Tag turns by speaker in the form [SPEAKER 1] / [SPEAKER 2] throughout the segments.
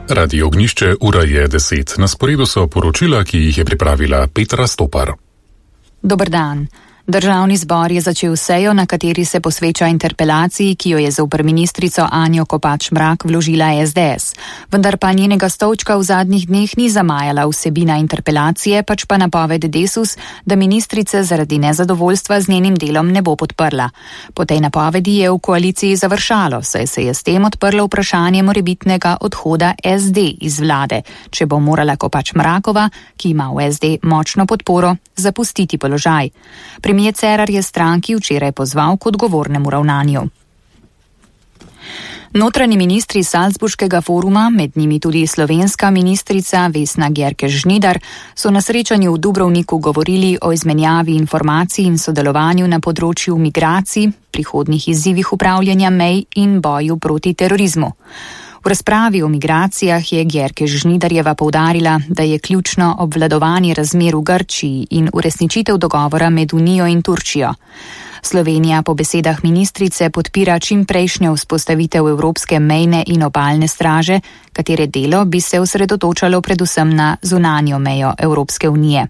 [SPEAKER 1] Radio Ognišče, ura je 10. Na sporedu so poročila, ki jih je pripravila Petra Stopar.
[SPEAKER 2] Dober dan. Državni zbor je začel sejo, na kateri se posveča interpelaciji, ki jo je zoper ministrico Anjo Kopač Mrak vložila SDS. Vendar pa njenega stolčka v zadnjih dneh ni zamajala vsebina interpelacije, pač pa napoved Desus, da ministrice zaradi nezadovoljstva z njenim delom ne bo podprla. Po tej napovedi je v koaliciji završalo, saj se je s tem odprlo vprašanje morebitnega odhoda SD iz vlade, če bo morala Kopač Mrakova, ki ima v SD močno podporo, zapustiti položaj. Premier Cerar je stranki včeraj pozval k odgovornemu ravnanju. Notranji ministri Salzburškega foruma, med njimi tudi slovenska ministrica Vesna Györkös-Žnidar, so na srečanju v Dubrovniku govorili o izmenjavi informacij in sodelovanju na področju migracij, prihodnjih izzivih upravljanja mej in boju proti terorizmu. V razpravi o migracijah je Györkös-Žnidarjeva poudarila, da je ključno obvladovanje razmer v Grčiji in uresničitev dogovora med Unijo in Turčijo. Slovenija po besedah ministrice podpira čimprejšnjo vzpostavitev Evropske mejne in obalne straže, katere delo bi se osredotočalo predvsem na zunanjo mejo Evropske unije.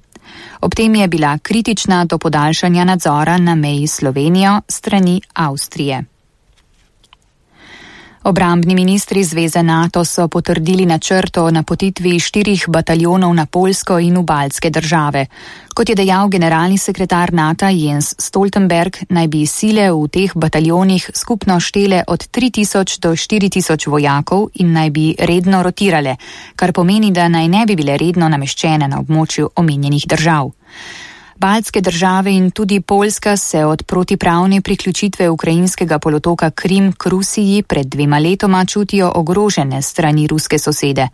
[SPEAKER 2] Ob tem je bila kritična do podaljšanja nadzora na meji s Slovenijo strani Avstrije. Obrambni ministri Zveze NATO so potrdili načrt o napotitvi 4 bataljonov na Poljsko in v baltske države. Kot je dejal generalni sekretar NATO Jens Stoltenberg, naj bi sile v teh bataljonih skupno štele od 3000 do 4000 vojakov in naj bi redno rotirale, kar pomeni, da naj ne bi bile redno nameščene na območju omenjenih držav. Baltske države in tudi Poljska se od protipravne priključitve ukrajinskega polotoka Krim k Rusiji pred 2 letoma čutijo ogrožene strani ruske sosede.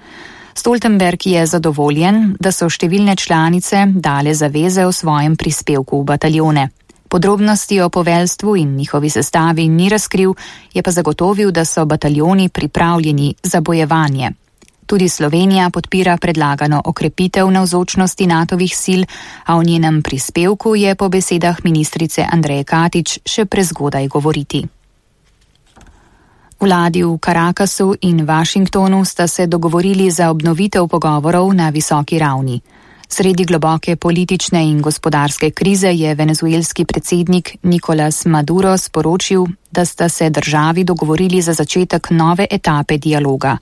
[SPEAKER 2] Stoltenberg je zadovoljen, da so številne članice dale zaveze o svojem prispevku v bataljone. Podrobnosti o poveljstvu in njihovi sestavi ni razkril, je pa zagotovil, da so bataljoni pripravljeni za bojevanje. Tudi Slovenija podpira predlagano okrepitev navzočnosti NATO-vih sil, a o njenem prispevku je po besedah ministrice Andreje Katič še prezgodaj govoriti. Vladi v Caracassu in Washingtonu sta se dogovorili za obnovitev pogovorov na visoki ravni. Sredi globoke politične in gospodarske krize je venezuelski predsednik Nicolás Maduro sporočil, da sta se državi dogovorili za začetek nove etape dialoga.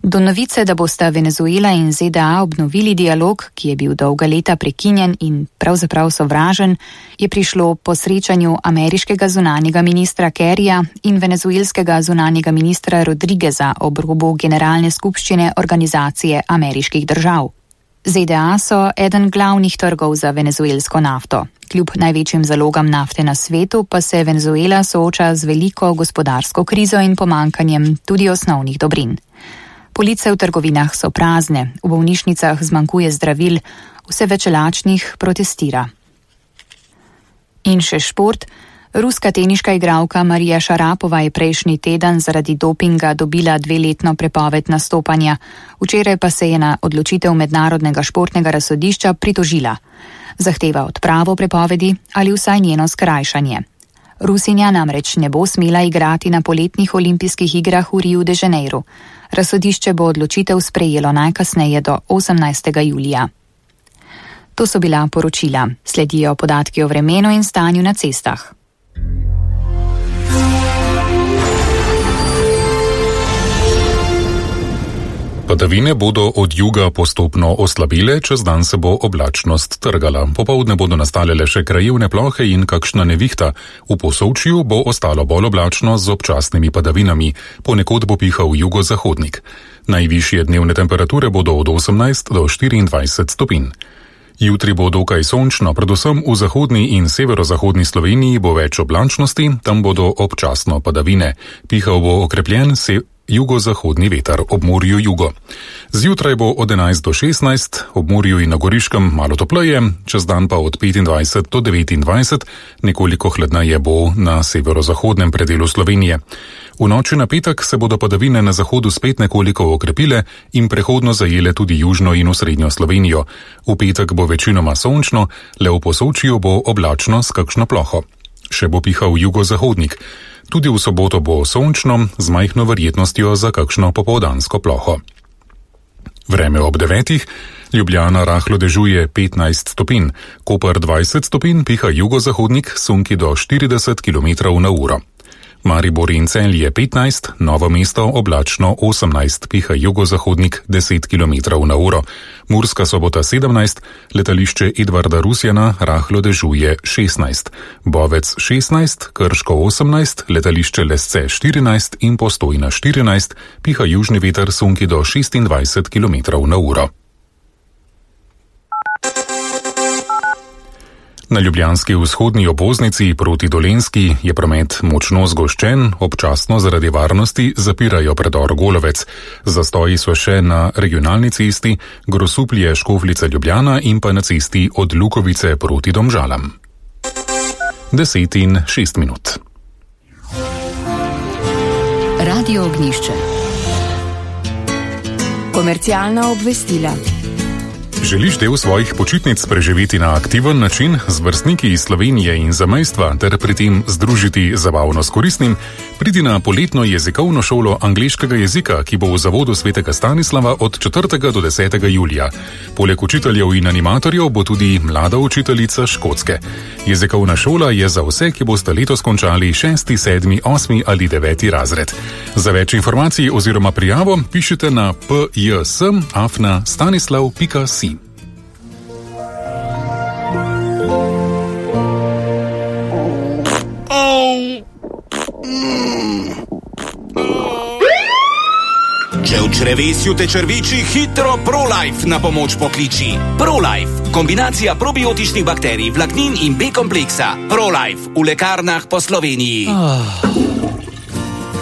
[SPEAKER 2] Do novice, da bosta Venezuela in ZDA obnovili dialog, ki je bil dolga leta prekinjen in pravzaprav sovražen, je prišlo po srečanju ameriškega zunanjega ministra Kerryja in venezuelskega zunanjega ministra Rodrigueza ob robu Generalne skupščine Organizacije ameriških držav. ZDA so eden glavnih trgov za venezuelsko nafto. Kljub največjim zalogam nafte na svetu pa se Venezuela sooča z veliko gospodarsko krizo in pomanjkanjem tudi osnovnih dobrin. Police v trgovinah so prazne, v bolnišnicah zmanjkuje zdravil, vse več lačnih protestira. In še šport. Ruska teniška igralka Marija Šarapova je prejšnji teden zaradi dopinga dobila 2-letno prepoved nastopanja, včeraj pa se je na odločitev Mednarodnega športnega razsodišča pritožila. Zahteva odpravo prepovedi ali vsaj njeno skrajšanje. Rusinja namreč ne bo smela igrati na poletnih olimpijskih igrah v Riu de Janeiro. Razsodišče bo odločitev sprejelo najkasneje do 18. julija. To so bila poročila. Sledijo podatki o vremenu in stanju na cestah.
[SPEAKER 1] Padavine bodo od juga postopno oslabile, čez dan se bo oblačnost trgala. Popoldne bodo nastale le še krajevne plohe in kakšna nevihta. V Posavčju bo ostalo bolj oblačno z občasnimi padavinami, ponekod bo pihal jugozahodnik. Najvišje dnevne temperature bodo od 18 do 24 stopinj. Jutri bo dokaj sončno, predvsem v zahodni in severozahodni Sloveniji bo več oblačnosti, tam bodo občasno padavine. Pihal bo okrepljen jugozahodni veter, ob morju jugo. Zjutraj bo od 11 do 16, ob morju in na Goriškem malo topleje, čez dan pa od 25 do 29, nekoliko hladneje bo na severozahodnem predelu Slovenije. V noči na petek se bodo padavine na zahodu spet nekoliko okrepile in prehodno zajele tudi južno in osrednjo Slovenijo. V petek bo večinoma sončno, le v Posavčju bo oblačno s kakšno ploho. Še bo pihal jugozahodnik. Tudi v soboto bo sončno, z majhno verjetnostjo za kakšno popoldansko ploho. Vreme ob 9. Ljubljana rahlo dežuje 15 stopinj, Koper 20 stopinj, piha jugozahodnik, sunki do 40 km/h. Maribor in Celje 15, Novo mesto oblačno 18, piha jugozahodnik 10 km/h. Murska Sobota 17, letališče Edvarda Rusjana rahlo dežuje 16, Bovec 16, Krško 18, letališče Lesce 14 in Postojna 14, piha južni veter, sunki do 26 km/h. Na ljubljanski vzhodni obvoznici proti Dolenjski je promet močno zgoščen, občasno zaradi varnosti zapirajo predor Golovec. Zastoji so še na regionalni cesti Grosuplje-Škofljica Ljubljana in pa na cesti od Lukovice proti Domžalam. 10:06.
[SPEAKER 2] Radio Ognjišče. Komercialna obvestila.
[SPEAKER 1] Želiš del svojih počitnic preživeti na aktiven način z vrstniki iz Slovenije in zamejstva ter pri tem združiti zabavno s koristnim? Pridi na poletno jezikovno šolo angleškega jezika, ki bo v zavodu Svetega Stanislava od 4. do 10. julija. Poleg učiteljev in animatorjev bo tudi mlada učiteljica škotske. Jezikovna šola je za vse, ki boste letos končali 6., 7., 8. ali 9. razred. Za več informacij oziroma prijavo pišite na pjs@stanislav.si.
[SPEAKER 3] Če v črevesju te črviči, hitro ProLife na pomoč pokliči. ProLife, kombinacija probiotičnih bakterij, vlaknin in B-kompleksa. ProLife v lekarnah po Sloveniji.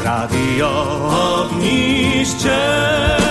[SPEAKER 4] Radio Ognjišče.